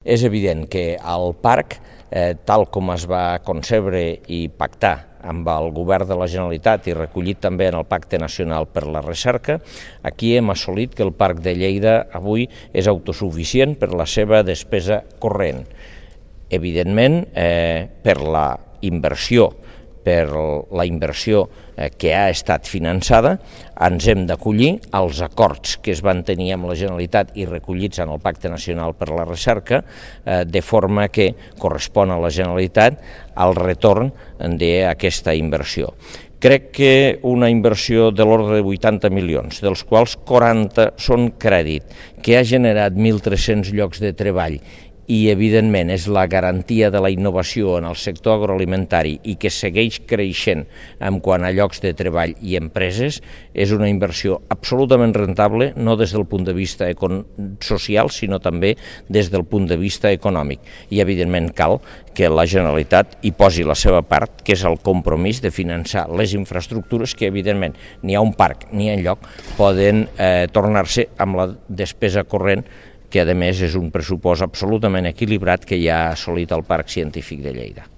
És evident que el parc, tal com es va concebre i pactar amb el Govern de la Generalitat i recollit també en el Pacte Nacional per la Recerca, aquí hem assolit que el Parc de Lleida avui és autosuficient per la seva despesa corrent. Evidentment, per la inversió que ha estat finançada, ens hem d'acollir als acords que es van tenir amb la Generalitat i recollits en el Pacte Nacional per la Recerca, de forma que correspon a la Generalitat el retorn d'aquesta inversió. Crec que una inversió de l'ordre de 80 milions, dels quals 40 són crèdit, que ha generat 1.300 llocs de treball i, evidentment, és la garantia de la innovació en el sector agroalimentari i que segueix creixent en quant a llocs de treball i empreses, és una inversió absolutament rentable, no des del punt de vista social, sinó també des del punt de vista econòmic. I, evidentment, cal que la Generalitat hi posi la seva part, que és el compromís de finançar les infraestructures que, evidentment, ni a un parc ni enlloc poden tornar-se amb la despesa corrent, que a més és un pressupost absolutament equilibrat que ja ha assolit el Parc Científic de Lleida.